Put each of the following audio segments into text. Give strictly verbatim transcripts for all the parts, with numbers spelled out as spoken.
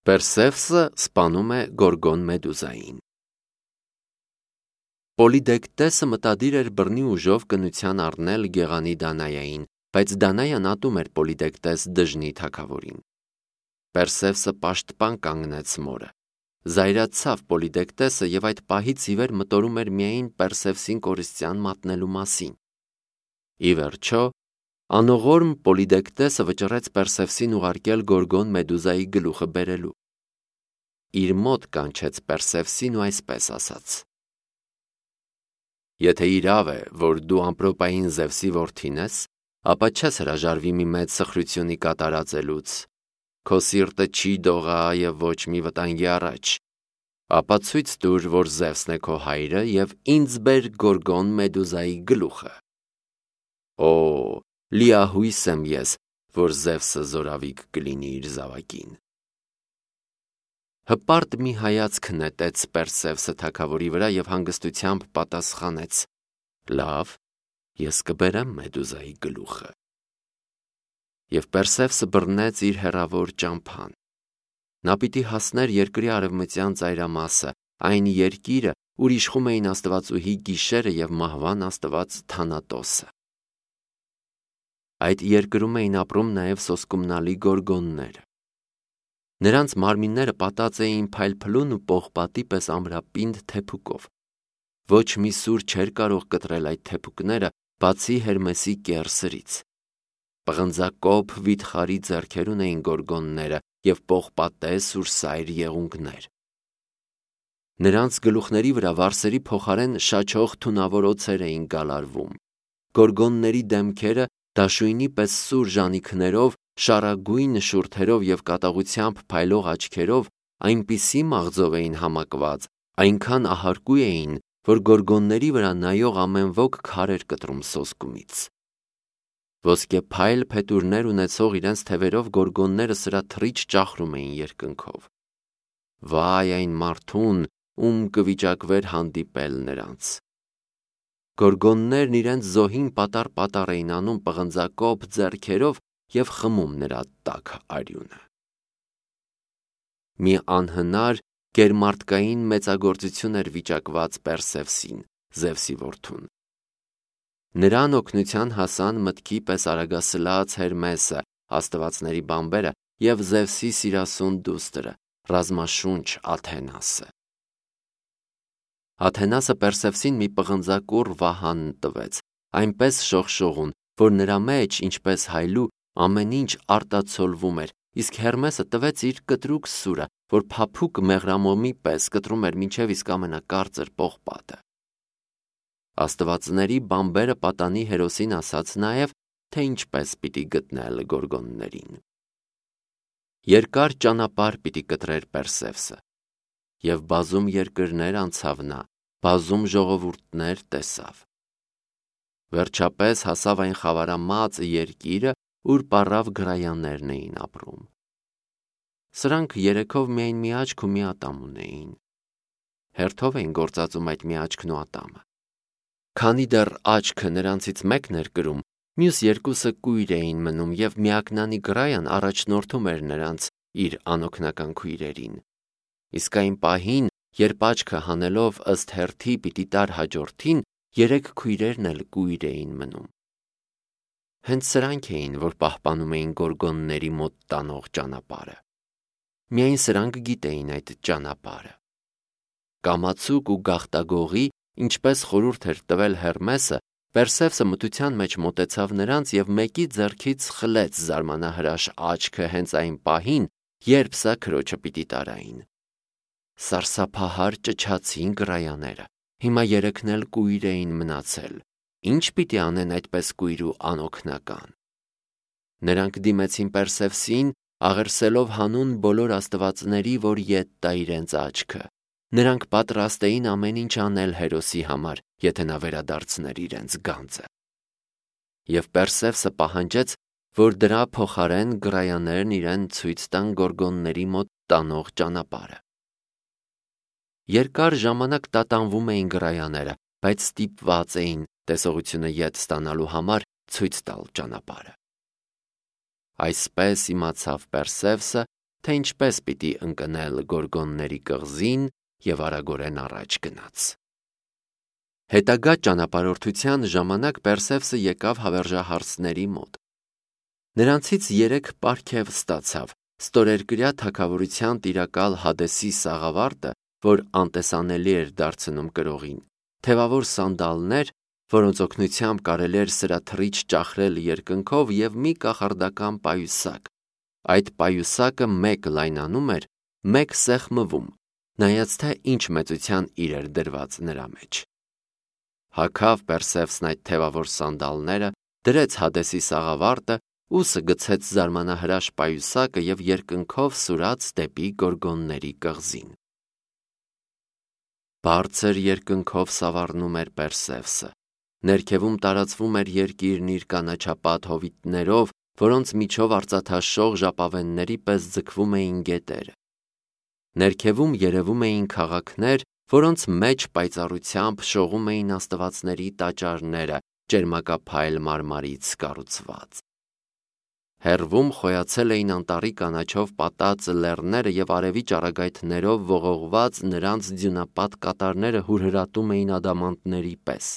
Պերսևսը սպանում է Գորգոն Մեդուզային։ Պոլիդեկտեսը մտադիր էր բռնի ուժով կնության առնել գեղանի Դանայային, բայց Դանայան ատում էր Պոլիդեկտես դժնի թագավորին։ Պերսևսը պաշտպան կանգնեց մորը։ Զայրացավ Պոլիդեկտեսը և այդ պահից ի վեր մտորում էր միայն Պերսևսին կորստյան մատնելու մասին։ Ի վերջո, անողորմ Պոլիդեկտեսը վճռեց Պերսևսին ուղարկել Գորգոն Մեդուզայի գլուխը բերելու։ Իր մոտ կանչեց Պերսևսին ու այսպես ասաց. Եթե իրավ է, որ դու ամպրոպային Զևսի որդին ես, ապա չես հրաժարվի մի մեծ սխրությունի կատարածելուց, քո սիրտը չի դողա և ոչ մի վտանգի առաջ, ապա ցույց տուր, որ Զևսն է քո հայրը և ինձ բեր Գորգոն Մեդուզայի գլուխը։ Օ, լիահույս եմ ես, որ Զևսը զորավիք կլինի իր զավակին։ Հպարտ մի հայացք նետեց Պերսևսը թագավորի վրա և հանգստությամբ պատասխանեց. Լավ, ես կբերեմ Մեդուզայի գլուխը։ Եվ Պերսևսը բռնեց իր հեռավոր ճամփան։ Նա պիտի հասներ երկրի արևմտյան ծայրամասը, այն երկիրը, ուր իշխում էին աստվածուհի Գիշերը և մահվան աստված Թանատոսը։ Այդ երկրում էին ապրում նաև սոսկումնալի գորգոնները։ Նրանց մարմինները պատած էին փայլփլուն ու պողպատի պես ամրապինդ թեփուկով։ Ոչ մի սուր չէր կարող կտրել այդ թեփուկները, բացի Հերմեսի կեռ սրից։ Պղնձակոփ վիթխարի ձեռքեր ունեին գորգոնները և պողպատե սուրսայր եղունգներ։ Նրանց գլուխների վրա վարսերի փոխարեն շաչող թունավոր օձեր էին գալարվում։ Գորգոնների դեմքերը դաշույնի պես սուր ժանիքներով, շառագույն շուրթերով և կատաղությամբ փայլող աչքերով այնպիսի մաղձով էին համակված, այնքան ահարկու էին, որ գորգոնների վրա նայող ամեն ոք քար էր կտրում սոսկումից։ Ոսկեփայլ փետուրներ ունեցող իրենց թևերով գորգոնները սրա թռիչ ճախրում էին երկնքով։ Վայ այն մարդուն, ում կվիճակվեր հանդիպել նրանց։ Գորգոններն իրենց զոհին պատառ-պատառ էին անում պղնձակոփ ձեռքերով և խմում նրա տաք արյունը։ Մի անհնար գերմարդկային մեծագործություն էր վիճակված Պերսևսին, Զևսի որդուն։ Նրան օգնության հասան մտքի պես արագասլաց Հերմեսը, աստվածների բանբերը և Զևսի սիրասուն դուստրը, ռազմաշունչ Աթենասը։ Աթենասը Պերսևսին մի պղնձակուռ վահան տվեց, այնպես շողշողուն, որ նրա մեջ, ինչպես հայլու, ամեն ինչ արտացոլվում էր, իսկ Հերմեսը տվեց իր կտրուկ սուրը, որ փափուկ մեղրամոմի պես կտրում էր մինչև իսկ ամենակարծր պողպատը։ Աստվածների բանբերը պատանի հերոսին ասաց նաև, թե ինչպես պիտի գտնել գորգոններին։ Երկար ճանապարհ պիտի կտրեր Պերսևսը, և բազում երկրներ անցավ նա, բազում ժողովուրդներ տեսավ։ Վերջապես հասավ այն խավարամած երկիրը, ուր պառավ գրայաններն էին ապրում։ Սրանք երեքով միայն մի աչք ու մի ատամ ունեին։ Հերթով էին գործածում այդ մի աչքն ու ատամը։ Քանի դեռ աչքը նրանցից մեկն էր կրում, մյուս երկուսը կույր էին մնում և միակնանի գրայան առաջնորդում էր նրանց իր անօգնական քույրերին։ Իսկ այն պահին, երբ աչքը հանելով ըստ հերթի պիտի տար հաջորդին, երեք քույրերն էլ կույր էին մնում։ Հենց սրանք էին, որ պահպանում էին գորգոնների մոտ տանող ճանապարհը։ Միայն սրանք գիտեին այդ ճանապարհը։ Կամացուկ ու գաղտագողի, ինչպես խորհուրդ էր տվել Հերմեսը, Պերսևսը մթության մեջ մոտեցավ նրանց և մեկի ձեռքից խլեց զարմանահրաշ աչքը հենց այն պահին, երբ սա քրոջը պիտի տարային։ Սարսափահար ճչացին գրայաները։ Հիմա երեքն էլ կույր էին մնացել։ Ինչ պիտի անեն այդպես կույր ու անօգնական։ Նրանք դիմեցին Պերսևսին, աղերսելով հանուն բոլոր աստվածների, որ ետ տա իրենց աչքը։ Նրանք պատրաստ էին ամեն ինչ անել հերոսի համար, եթե նա վերադարձներ իրենց գանձը։ Եվ Պերսևսը պահանջեց, որ դրա փոխարեն գրայաներն իրեն ցույց տան գորգոնների մոտ տանող ճանապարհը։ Երկար ժամանակ տատանվում էին գրայաները, բայց ստիպված էին տեսողությունը ետ ստանալու համար ցույց տալ ճանապարհը։ Այսպես իմացավ Պերսևսը, թե ինչպես պիտի ընկնել Գորգոնների կղզին և արագորեն առաջ գնաց։ Հետագա ճանապարհորդության ժամանակ Պերսևսը եկավ հավերժահարցների մոտ։ Նրանցից երեք պարգև ստացավ ստորերկրյա թագավորության տիրակալ Հադեսի սաղավարտը, որ անտեսանելի էր դարձնում կրողին, թևավոր սանդալներ, որոնց օգնությամբ կարելի էր սրաթռիչ ճախրել երկնքով, և մի կախարդական պայուսակ։ Այդ պայուսակը մեկ լայնանում էր, մեկ սեղմվում, նայած թե ինչ մեծության իր էր դրված նրա մեջ։ Հագավ Պերսևսն այդ թևավոր սանդալները, դրեց Հադեսի սաղավարտը, ուսը գցեց զարմանահրաշ պայուսակը և երկնքով սուրաց դեպի Գորգոնների կղզին։ Բարձր երկնքով սավառնում էր Պերսևսը։ Ներքևում տարածվում էր երկիրն իր կանաչապատ հովիտներով, որոնց միջով արծաթաշող ժապավենների պես ձգվում էին գետերը։ Ներքևում երևում էին քաղաքներ, որոնց մեջ պայծառությամբ շողում էին աստվածների տաճարները, ճերմակափայլ մարմարից կառուցված։ Հեռվում խոյացել էին անտառի կանաչով պատած լեռները և արևի ճառագայթներով ողողված նրանց ձյունապատ կատարները հուրհրատում էին ադամանդների պես։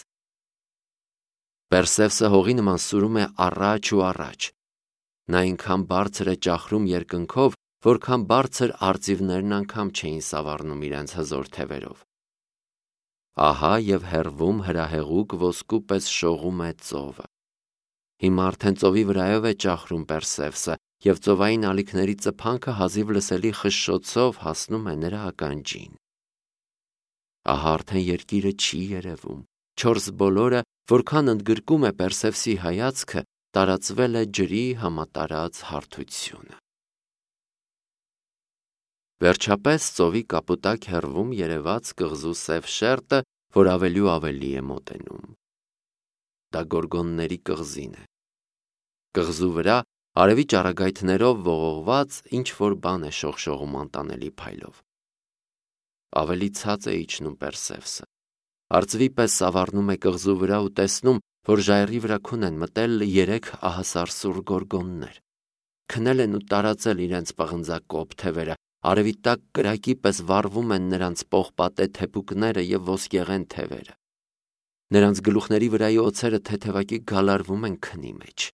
Պերսևսը հողի նման սուրում է առաջ ու առաջ։ Նա այնքան բարձր է ճախրում երկնքով, որքան բարձր արծիվներն անգամ չէին սավառնում իրենց հզոր թևերով։ Ահա և հեռվում հրահեղուկ ոսկու պես շողում է ծովը։ Հիմա արդեն ծովի վրայով է ճախրում Պերսևսը, և ծովային ալիքների ծփանքը հազիվ լսելի խշշոցով հասնում է նրա ականջին։ Ահա արդեն երկիրը չի երևում։ Չորս բոլորը, որքան ընդգրկում է Պերսևսի հայացքը, տարածվել է ջրի համատարած հարթությունը։ Վերջապես ծովի կապուտակ հեռվում երևաց կղզու սև շերտը, որ ավելի ու ավելի է մոտենում։ Դա Գորգոնների կղզին է։ Կղզու վրա արևի ճառագայթներով ողողված ինչ-որ բան է շողշողում անտանելի փայլով։ Ավելի ցած է իջնում Պերսևսը։ Արծվի պես սավառնում է կղզու վրա ու տեսնում, որ ժայռի վրա քուն են մտել երեք ահասարսուռ գորգոններ։ Քնել են ու տարածել իրենց պղնձակոպ թևերը, արևի տակ կրակի պես վառվում են նրանց պողպատե թեփուկները և ոսկեղեն թևերը։ Նրանց գլուխների վրայի օձերը թեթևակի գալարվում են քնի մեջ։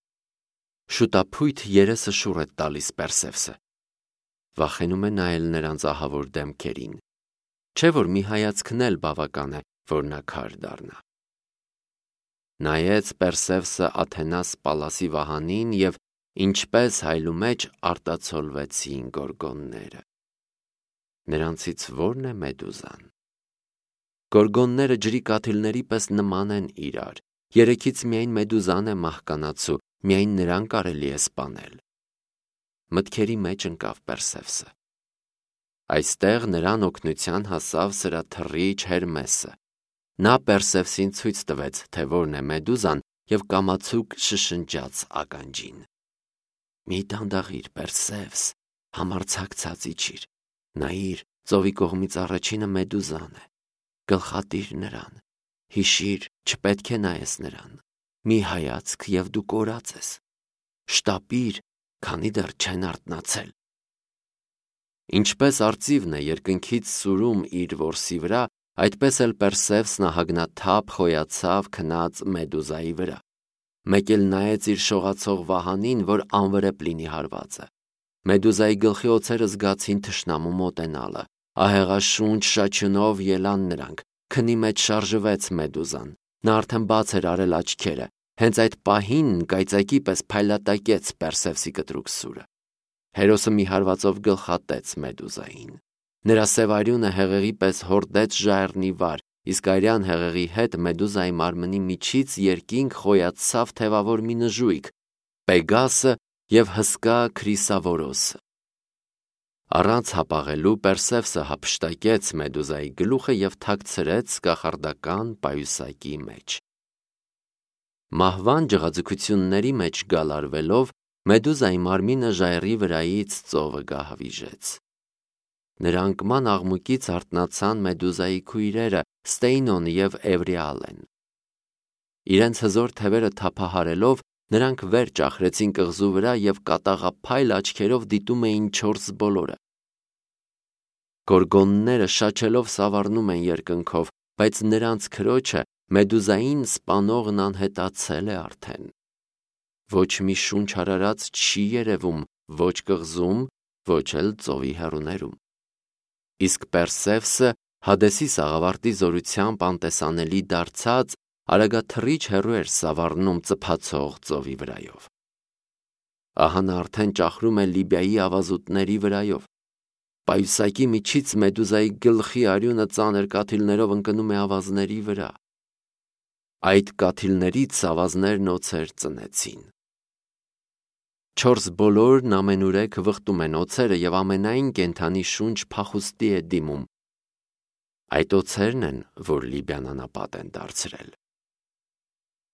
Շուտափույթ երեսը շուռ է տալիս Պերսևսը։ Վախենում է նայել նրանց ահավոր դեմքերին։ Չէ՞ որ մի հայացքն էլ բավական է, որ նա քար դառնա։ Նայեց Պերսևսը Աթենաս Պալասի վահանին, և ինչպես հայլու մեջ արտացոլվեցին գորգոնները։ Նրանցից ո՞րն է Մեդուզան։ Գորգոնները ջրի կաթիլների պես նման են իրար։ Երեքից միայն Մեդուզան է մահկանացու, միայն նրան կարելի է սպանել։ Մտքերի մեջ ընկավ Պերսևսը։ Այստեղ նրան օգնության հասավ սրաթռիչ Հերմեսը։ Նա Պերսևսին ցույց տվեց, թե որն է Մեդուզան, և կամացուկ շշնջաց ականջին. «Մի դանդաղիր, Պերսևս, համարձակցած իջիր, նայիր, ծովի կողմից առաջինը Մեդուզան է, գլխատիր նրան, հիշիր, չպետք է նայես նրան, մի հայացք և դու կորած ես, շտապիր, քանի դեռ չեն արթնացել»։ Ինչպես արծիվն է երկնքից սուրում իր որսի վրա, այդպես էլ Պերսևսն ահագնաթափ խոյացավ քնած Մեդուզայի վրա։ Մեկ էլ նայեց իր շողացող վահանին, որ անվրեպ լինի հարվածը։ Մեդուզայի գլխի օձերը զգացին թշնամու մոտենալը։ Ահեղաշունչ շաչյունով ելան նրանք։ Քնի մեջ շարժվեց Մեդուզան։ Նա արդեն բաց էր արել աչքերը։ Հենց այդ պահին կայծակի պես փայլատակեց Պերսևսի կտրուկ սուրը։ Հերոսը մի հարվածով գլխատեց Մեդուզային։ Նրա սև արյունը հեղեղի պես հորդեց ժայռն ի վար, իսկ արյան հեղեղի հետ Մեդուզայի մարմնի միջից երկինք խոյացավ թևավոր մի նժույգ՝ Պեգասը և հսկա Քրիսավորոսը։ Առանց հապաղելու Պերսևսը հափշտակեց Մեդուզայի գլուխը և թաքցրեց կախարդական պայուսակի մեջ։ Մահվան ջղաձգությունների մեջ գալարվելով, Մեդուզայի մարմինը ժայռի վրայից ծովը գահավիժեց։ Նրա անկման աղմուկից արթնացան Մեդուզայի քույրերը Ստեյնոն և Էվրիալեն։ Իրենց հզոր թևերը թափահարելով, Նրանք վեր ճախրեցին կղզու վրա և կատաղափայլ աչքերով դիտում էին չորս բոլորը։ Գորգոնները շաչելով սավառնում են երկնքով, բայց նրանց քրոջը Մեդուզային սպանողն անհետացել է արդեն։ Ոչ մի շունչ արարած չի երևում ոչ կղզում, ոչ էլ ծովի հեռուներում։ Իսկ Պերսևսը Հադեսի սաղավարտի զորությամբ անտեսանելի դարձած արագաթռիչ հեռու էր սավառնում ծփացող ծովի վրայով։ Ահա նա արդեն ճախրում է Լիբիայի ավազուտների վրայով։ Պայուսակի միջից Մեդուզայի գլխի արյունը ծանր կաթիլներով ընկնում է ավազների վրա։ Այդ կաթիլներից ավազներն օձեր ծնեցին։ Չորս բոլորն ամենուրեք վխտում են օձերը և ամենայն կենդանի շունչ փախուստի է դիմում։ Այդ օձերն են, որ Լիբիան անապատ են դարձրել։